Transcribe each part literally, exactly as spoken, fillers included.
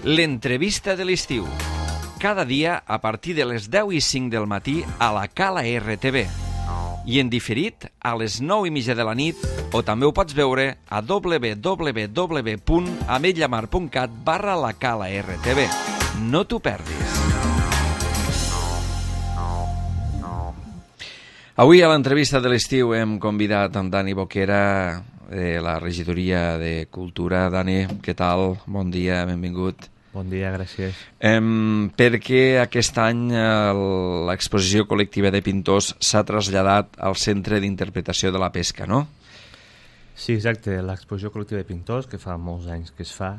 L'entrevista de l'estiu. Cada dia a partir de les deu i cinc del matí a la Cala R T V. I en diferit a les nou i mitja de la nit, o també ho pots veure a w w w punt ametlla mar punt cat barra la Cala R T V. No t'ho perdis. Avui a l'entrevista de l'estiu hem convidat amb Dani Boquera de la regidoria de Cultura. Dani, què tal? Bon dia, benvingut. Bon dia, gràcies. Um, perquè aquest any uh, l'exposició col·lectiva de pintors s'ha traslladat al Centre d'Interpretació de la Pesca, no? Sí, exacte. L'exposició col·lectiva de pintors, que fa molts anys que es fa,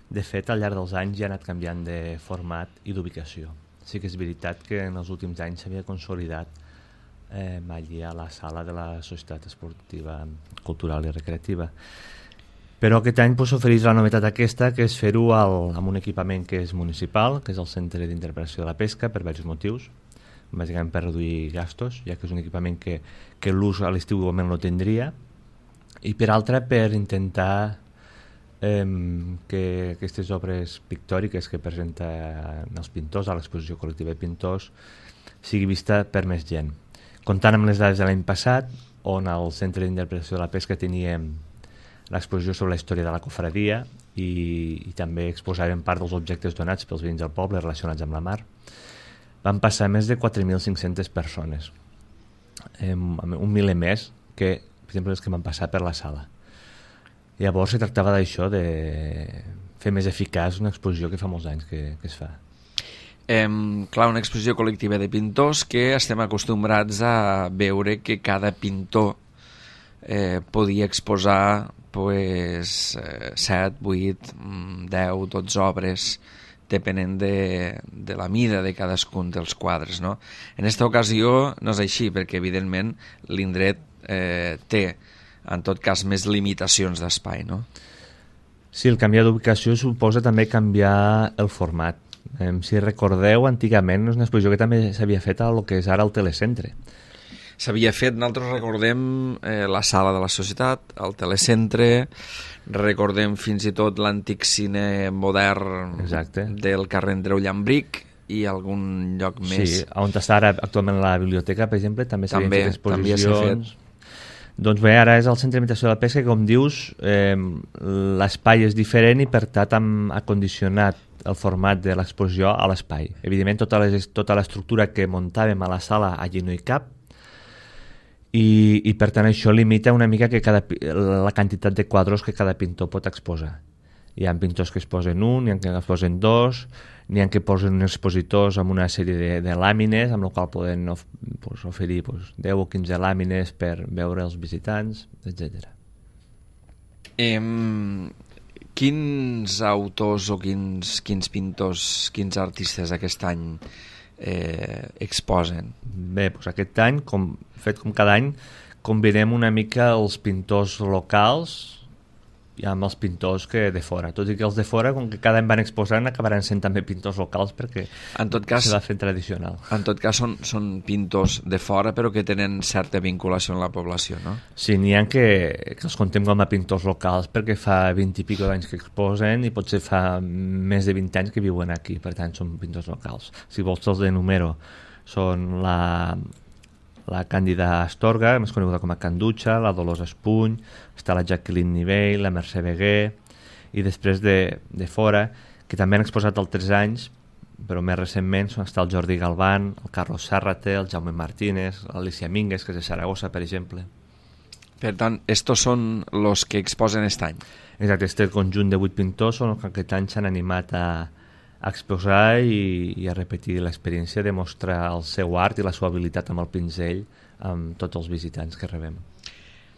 de fet, al llarg dels anys ja ha anat canviant de format i d'ubicació. Sí que és veritat que en els últims anys s'havia consolidat eh, allí a la sala de la Societat Esportiva, Cultural i Recreativa. Però aquest any pues, ofereix la novetat aquesta, que és fer-ho amb un equipament que és municipal, que és el Centre d'Interpretació de la Pesca, per diversos motius. Bàsicament per reduir gastos, ja que és un equipament que, que l'ús a l'estiu igualment no tindria, i per altra per intentar eh, que aquestes obres pictòriques que presenten els pintors a l'exposició col·lectiva de pintors sigui vista per més gent. Comptant amb les dades de l'any passat, on al Centre d'Interpretació de la Pesca teníem l'exposició sobre la història de la cofradia i, i també exposàvem part dels objectes donats pels veïns del poble relacionats amb la mar. Van passar més de quatre mil cinc-centes persones, eh, un miler més que, per exemple, els que van passar per la sala. Llavors se tractava d'això, de fer més eficaç una exposició que fa molts anys que, que es fa. Eh, clar, una exposició col·lectiva de pintors que estem acostumbrats a veure que cada pintor eh, podia exposar pues, eh, set, vuit, deu, dotze obres, depenent de, de la mida de cadascun dels quadres, no? En aquesta ocasió no és així, perquè evidentment l'indret eh, té, en tot cas, més limitacions d'espai, no? Sí, el canviar d'ubicació suposa també canviar el format. Eh, si recordeu, antigament és una exposició que també s'havia fet a lo que és ara el Telecentre. S'havia fet, nosaltres recordem eh, la sala de la societat, el telecentre, recordem fins i tot l'antic cine modern. Exacte. Del carrer Andreu Llambric i algun lloc més. Sí, on està ara actualment la biblioteca, per exemple, també s'havien fet exposicions. Doncs bé, ara és el Centre d'Imitació de la Pesca, que com dius, eh, l'espai és diferent i per tant ha condicionat el format de l'exposició a l'espai. Evidentment, tota, les, tota l'estructura que muntàvem a la sala allí no hi cap, I, i per tant això limita una mica que cada, la quantitat de quadros que cada pintor pot exposar. Hi ha pintors que es posen un, hi ha que es posen dos, n'hi ha que posen uns expositors amb una sèrie de, de làmines, amb la qual poden of, pues, oferir pues, deu o quinze làmines per veure els visitants, etcètera. Eh, quins autors o quins, quins pintors, quins artistes aquest any eh, exposen? Bé, doncs aquest any, com, fet com cada any, combinem una mica els pintors locals i amb els pintors que de fora. Tot i que els de fora, com que cada any van exposant, acabaran sent també pintors locals perquè en tot cas, s'ha fet tradicional. En tot cas són, són pintors de fora però que tenen certa vinculació amb la població, no? Sí, n'hi ha que, que els contem com a pintors locals perquè fa vint i pico d'anys que exposen i potser fa més de vint anys que viuen aquí, per tant són pintors locals. Si vols els de número, són la... la Càndida Astorga, més coneguda com a Canducha, la Dolors Espuny, està la Jacqueline Nivell, la Mercè Beguer, i després de, de fora, que també han exposat altres anys, però més recentment està el Jordi Galván, el Carlos Sárrate, el Jaume Martínez, l'Alicia Mínguez, que és de Saragossa, per exemple. Per tant, estos són els que exposen aquest any. Exacte, este conjunt de vuit pintors són els que aquest any s'han animat a a exposar i, i a repetir l'experiència de mostrar el seu art i la seva habilitat amb el pinzell amb tots els visitants que rebem.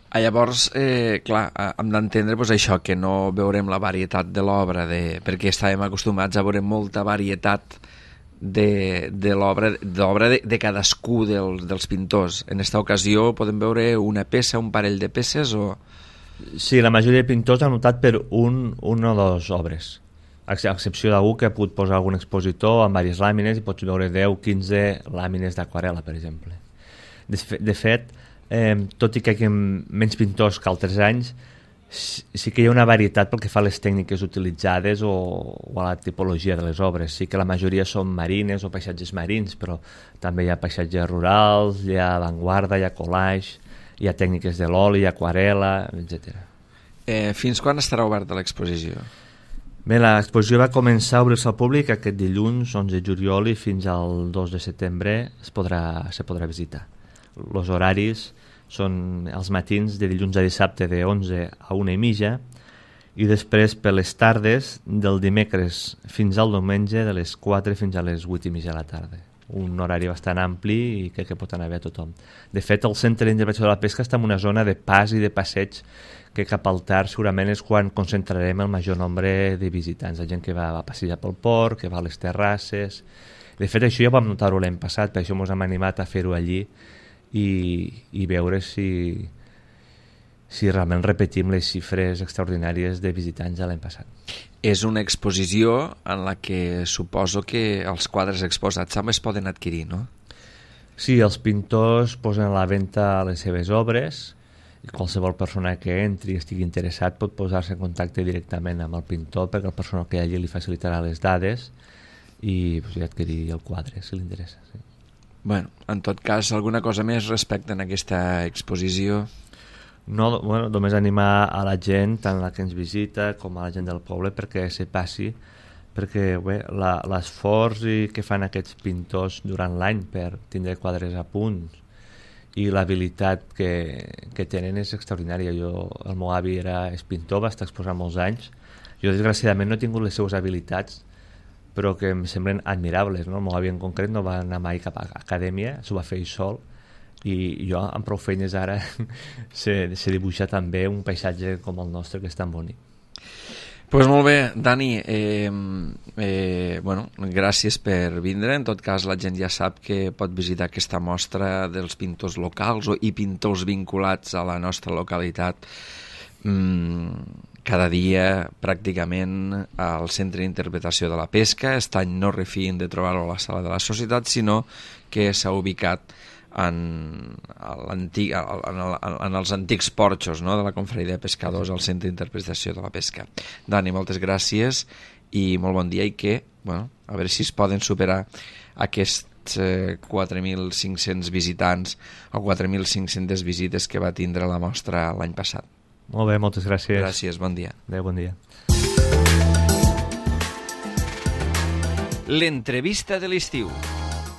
Ah, llavors, eh, clar, hem d'entendre pues, això, que no veurem la varietat de l'obra, de, perquè estàvem acostumats a veure molta varietat de, de l'obra de, de cadascú del, dels pintors. En aquesta ocasió podem veure una peça, un parell de peces o... Sí, la majoria de pintors han optat per un, un o dues obres, a excepció d'algú que ha pogut posar algun expositor amb diverses làmines i pots veure deu o quinze làmines d'aquarel·la, per exemple. De, de fet, eh, tot i que hi ha menys pintors que altres anys, sí que hi ha una varietat pel que fa a les tècniques utilitzades o, o a la tipologia de les obres. Sí que la majoria són marines o paisatges marins, però també hi ha paisatges rurals, hi ha avantguarda, hi ha collage, hi ha tècniques de l'oli, aquarela, etcètera. Eh, fins quan estarà oberta l'exposició? Bé, l'exposició va començar a obrir-se al públic aquest dilluns, onze de juliol, i fins al dos de setembre es podrà, se podrà visitar. Els horaris són els matins de dilluns a dissabte de onze a una i mitja i després per les tardes del dimecres fins al diumenge de les quatre fins a les vuit i mitja de la tarda. Un horari bastant ampli i crec que pot anar bé a tothom. De fet, el Centre d'Interpretació de la Pesca està en una zona de pas i de passeig que cap al tard segurament és quan concentrarem el major nombre de visitants, la gent que va a passejar pel port, que va a les terrasses. De fet, això ja vam notar-ho l'any passat, per això ens hem animat a fer-ho allí i, i veure si, si realment repetim les xifres extraordinàries de visitants de l'any passat. És una exposició en la que suposo que els quadres exposats també es poden adquirir, no? Sí, els pintors posen a la venda les seves obres i qualsevol persona que entri i estigui interessat pot posar-se en contacte directament amb el pintor perquè el personal que hi ha allí li facilitarà les dades i, pues, i adquirir el quadre si li interessa. Sí. Bueno, en tot cas, alguna cosa més respecte a aquesta exposició? No, bueno, només animar a la gent, tant la que ens visita com a la gent del poble, perquè se passi, perquè bé, la, l'esforç que fan aquests pintors durant l'any per tindre quadres a punt i l'habilitat que, que tenen és extraordinària. Jo, el meu avi era és pintor, va estar exposant molts anys. Jo, desgraciadament, no he tingut les seues habilitats, però que em semblen admirables, no? El meu avi en concret no va anar mai cap a acadèmia, s'ho va fer ell sol, i jo amb prou feines ara sé, sé dibuixar també un paisatge com el nostre que és tan bonic. Pues molt bé, Dani, eh, eh, bueno, gràcies per vindre. En tot cas, la gent ja sap que pot visitar aquesta mostra dels pintors locals o, i pintors vinculats a la nostra localitat mm, cada dia pràcticament al Centre d'Interpretació de la Pesca. Aquest any no refien de trobar-ho a la Sala de la Societat, sinó que s'ha ubicat en, en, el, en els antics porxos, no?, de la Confraria de Pescadors al Centre d'Interpretació de la Pesca. Dani, moltes gràcies i molt bon dia, i que, bueno, a veure si es poden superar aquests eh, quatre mil cinc-cents visitants o quatre mil cinc-centes visites que va tindre la mostra l'any passat. Molt bé, moltes gràcies. Gràcies, bon dia. Adéu, bon dia. L'entrevista de l'estiu.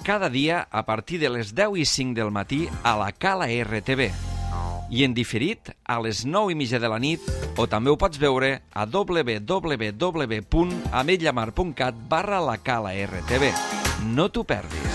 Cada dia a partir de les deu i cinc del matí a la Cala R T V. I en diferit a les nou i mitja de la nit, o també ho pots veure a w w w punt ametlllamar punt cat barra la Cala R T V. No t'ho perdis.